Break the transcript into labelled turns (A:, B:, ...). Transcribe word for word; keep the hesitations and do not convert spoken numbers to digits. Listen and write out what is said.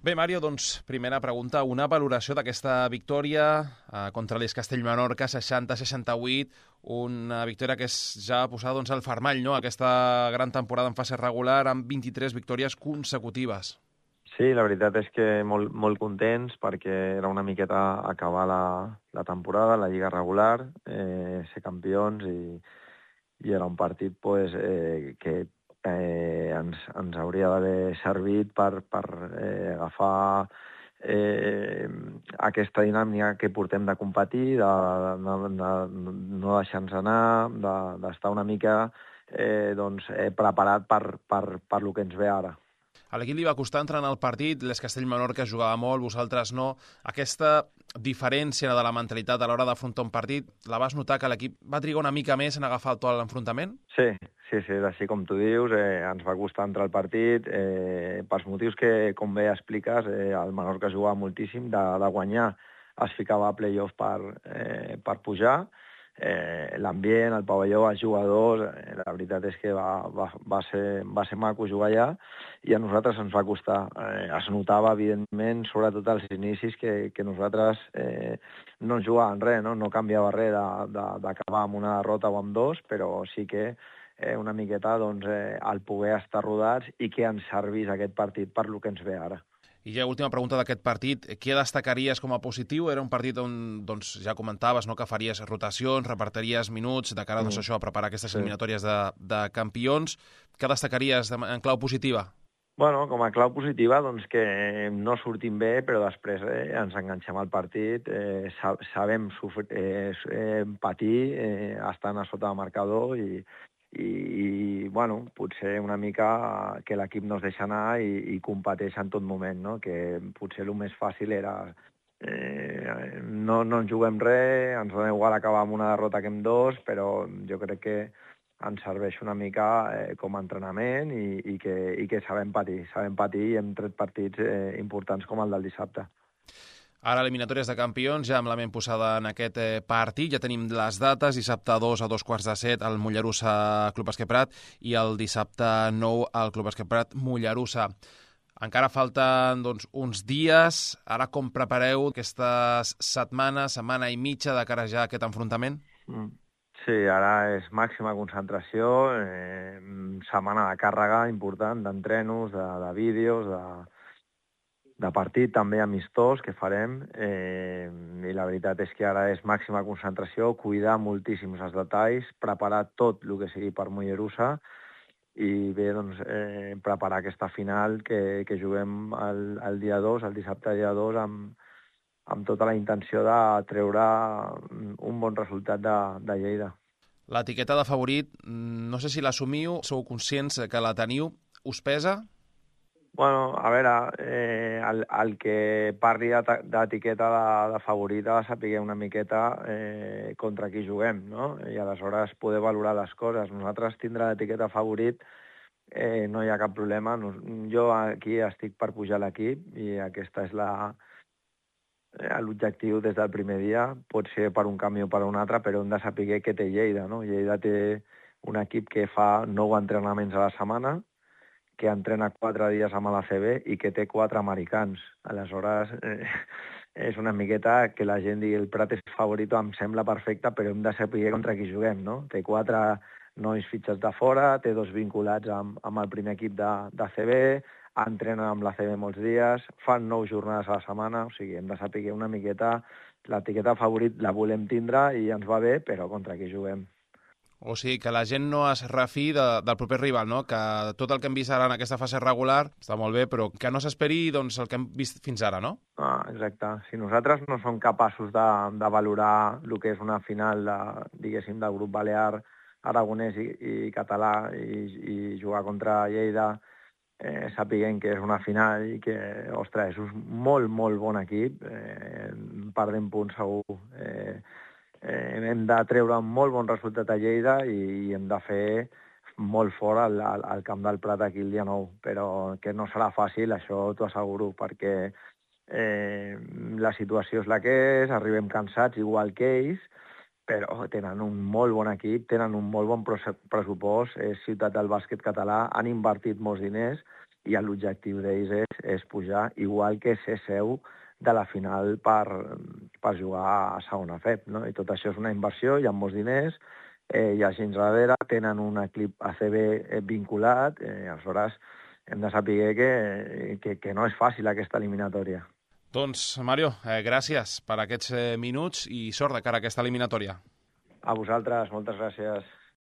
A: Bé, Mario, doncs, primera pregunta. Una valoració d'aquesta victòria eh, contra l'Es Castell-Menorca, seixanta a seixanta-vuit, una victòria que és ja posada doncs, al fermall, no?, aquesta gran temporada en fase regular amb vint-i-tres victòries consecutives.
B: Sí, la veritat és que molt, molt contents perquè era una miqueta acabar la, la temporada, la lliga regular, eh, ser campions i, i era un partit pues, eh, que eh, ens, ens hauria d'haver servit per, per eh, agafar eh, aquesta dinàmica que portem de competir, de, de, de, de no deixar-nos anar, d'estar de, una mica eh, doncs, eh, preparat per, per, per lo que ens ve ara.
A: A l'equip li va costar entrar en el partit, l'Es Castell-Menorca jugava molt, vosaltres no. Aquesta diferència de la mentalitat a l'hora d'afrontar un partit, la vas notar que l'equip va trigar una mica més en agafar el to a l'enfrontament?
B: Sí, sí, sí, és així com tu dius, eh, ens va costar entrar al partit, eh, pels motius que, com bé expliques, eh, el Menorca jugava moltíssim, de, de guanyar es ficava a play-off per, eh, per pujar, eh, l'ambient, el pavelló, els jugadors, eh, la veritat és que va, va, va, ser, va ser maco jugar allà i a nosaltres ens va costar. Eh, es notava, evidentment, sobretot als inicis, que, que nosaltres eh, no ens jugàvem res, no, no canviava res d'acabar amb una derrota o amb dos, però sí que eh, una miqueta doncs, eh, el poder estar rodats i que ens servís aquest partit per lo que ens ve ara.
A: I ja última pregunta d'aquest partit, què destacaries com a positiu? Era un partit on, doncs, ja comentaves, no?, que faries rotacions, repartiries minuts de cara, doncs,
B: Mm.
A: això, a preparar aquestes
B: Sí.
A: eliminatòries de, de campions. Què destacaries de, en clau positiva?
B: Bueno, com a clau positiva, doncs que no sortim bé, però després eh, ens enganxem al partit, eh, sa sabem sofrir, eh, eh, patir, eh, estant a sota de marcador i, i, i bueno, potser una mica que l'equip no es deixa anar i, i competeix en tot moment, no? Que potser el més fàcil era eh, no, no ens juguem res, ens dona igual acabar amb una derrota que amb dos, però jo crec que ens serveix una mica eh, com a entrenament i, i, que, i que sabem patir, sabem patir i hem tret partits eh, importants com el del dissabte.
A: Ara eliminatòries de campions, ja amb la ment posada en aquest eh, partit, ja tenim les dates, dissabte dos a dos quarts de set al Mollerussa Club Bàsquet Prat i el dissabte nou al Club Bàsquet Prat Mollerussa. Encara falten doncs, uns dies. Ara com prepareu aquestes setmanes, setmana i mitja de cara ja a aquest enfrontament?
B: Mm. Sí, ara és màxima concentració, eh, setmana de càrrega important d'entrenos, de, de vídeos, de, de partit també amistós que farem, eh, i la veritat és que ara és màxima concentració, cuidar moltíssims els detalls, preparar tot el que sigui per Mollerussa i bé, doncs, eh, preparar aquesta final que, que juguem el, el dia dos, el dissabte dia dos, amb, amb tota la intenció de treure un bon resultat de, de Lleida.
A: L'etiqueta de favorit, no sé si l'assumiu, sou conscients que la teniu, us pesa?
B: Bueno, a veure, eh, el, el que parli d'etiqueta de, de favorit ha de saber una miqueta eh, contra qui juguem, no? I aleshores poder valorar les coses. Nosaltres tindre l'etiqueta favorit eh, no hi ha cap problema. Jo aquí estic per pujar l'equip i aquesta és la eh, l'objectiu des del primer dia. Pot ser per un camí o per un altre, però hem de saber què té Lleida, no? Lleida té un equip que fa nou entrenaments a la setmana, que entrena quatre dies amb l'A C B i que té quatre americans. Aleshores, eh, és una miqueta que la gent digui el Prat és favorit, em sembla perfecte, però hem de saber contra qui juguem, no? Té quatre nois fitxats de fora, té dos vinculats amb, amb el primer equip de, de C B, entrenen amb l'A C B molts dies, fan nou jornades a la setmana, o sigui, hem de saber una miqueta l'etiqueta favorit la volem tindre i ens va bé, però contra qui juguem.
A: O sigui, que la gent no es refi de, del proper rival, no? Que tot el que hem vist ara en aquesta fase regular està molt bé, però que no s'esperi doncs, el que hem vist fins ara, no?
B: Ah, exacte. Si nosaltres no som capaços de, de valorar el que és una final de, diguéssim, del grup balear, aragonès i, i català i, i jugar contra Lleida, eh, sapiguem que és una final i que, ostres, és un molt, molt bon equip, eh, perdem punts segur, eh, Eh, hem de treure un molt bon resultat a Lleida i, i hem de fer molt fort al, al, al Camp del Prat aquí el dia nou, però que no serà fàcil, això t'ho asseguro, perquè eh, la situació és la que és, arribem cansats igual que ells, però tenen un molt bon equip, tenen un molt bon pressupost, és ciutat del bàsquet català, han invertit molts diners i l'objectiu d'ells és, és pujar, igual que ser seu de la final per, per jugar a segona F E P, no? I tot això és una inversió, hi ha molts diners, eh, hi ha gent darrere, tenen un equip A C B vinculat, eh, aleshores hem de saber que, que, que no és fàcil aquesta eliminatòria.
A: Doncs, Mario, eh, gràcies per aquests eh, minuts i sort de cara a aquesta eliminatòria.
B: A vosaltres, moltes gràcies.